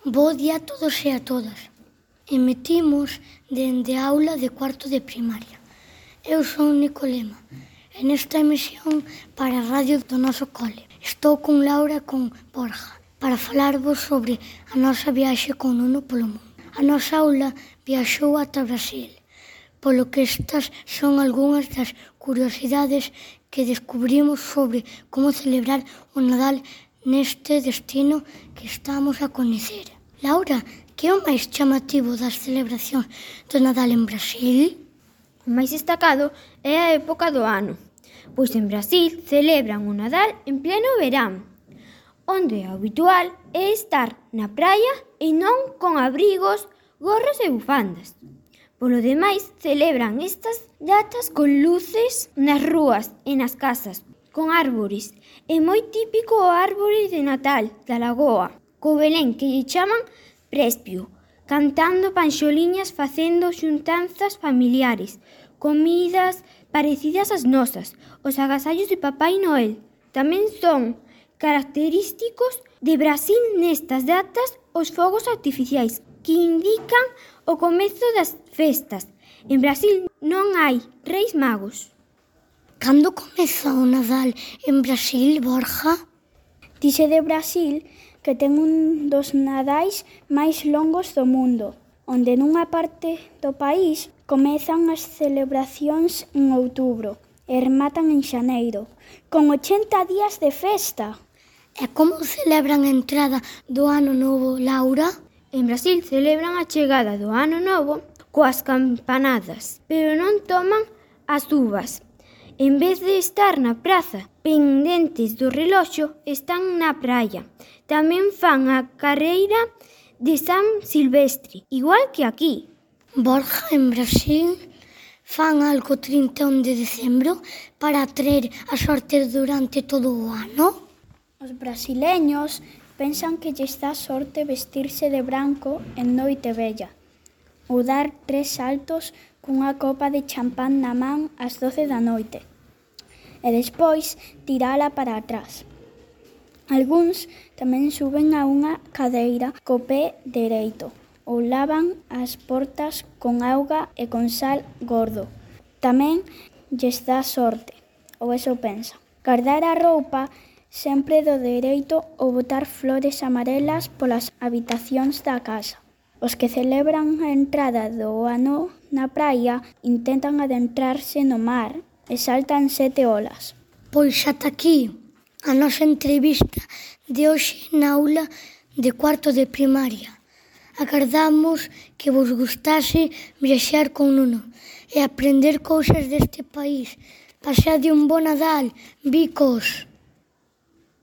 Bo día a todos e a todas. Emitimos dende a aula de cuarto de primaria. Eu son Nicolema e nesta emisión para a radio do noso cole. Estou con Laura e con Borja para falarvos sobre a nosa viaxe con Nuno polo mundo. A nosa aula viaxou ata Brasil, polo que estas son algunhas das curiosidades que descubrimos sobre como celebrar o Nadal neste destino que estamos a coñecer. Laura, que é o máis chamativo das celebracións do Nadal en Brasil? O máis destacado é a época do ano, pois en Brasil celebran o Nadal en pleno verán, onde o habitual é estar na praia e non con abrigos, gorros e bufandas. Polo demais, celebran estas datas con luces nas rúas e nas casas, con árbores. É moi típico o árbore de Natal da Lagoa, co Belén que lle chaman Prespio, cantando panxoliñas facendo xuntanzas familiares, comidas parecidas ás nosas, os agasallos de Papai Noel. Tamén son característicos de Brasil nestas datas os fogos artificiais, que indican o comezo das festas. En Brasil non hai reis magos. Cando comeza o Nadal en Brasil, Borja? Dice de Brasil que ten un dos nadais máis longos do mundo, onde nunha parte do país comezan as celebracións en outubro e rematan en xaneiro, con 80 días de festa. E como celebran a entrada do Ano Novo, Laura? En Brasil celebran a chegada do Ano Novo coas campanadas, pero non toman as uvas. En vez de estar na praza pendentes do reloxo, están na praia. Tamén fan a carreira de San Silvestre, igual que aquí. Borja, en Brasil fan algo 31 de decembro para atraer a sorte durante todo o ano? Os brasileños pensan que lles dá sorte vestirse de branco en noite vella, ou dar 3 saltos cunha copa de champán na man ás 12 da noite, e despois tirala para atrás. Algúns tamén suben a unha cadeira co pé dereito, ou lavan as portas con auga e con sal gordo. Tamén lles dá sorte, ou eso pensa. Guardar a roupa sempre do dereito ou botar flores amarelas polas habitacións da casa. Os que celebran a entrada do ano na praia intentan adentrarse no mar e saltan 7 olas. Pois ata aquí a nosa entrevista de hoxe na aula de cuarto de primaria. Agardamos que vos gustase viaxar con Nuno e aprender cousas deste país. Pasade un bo Nadal, bicos!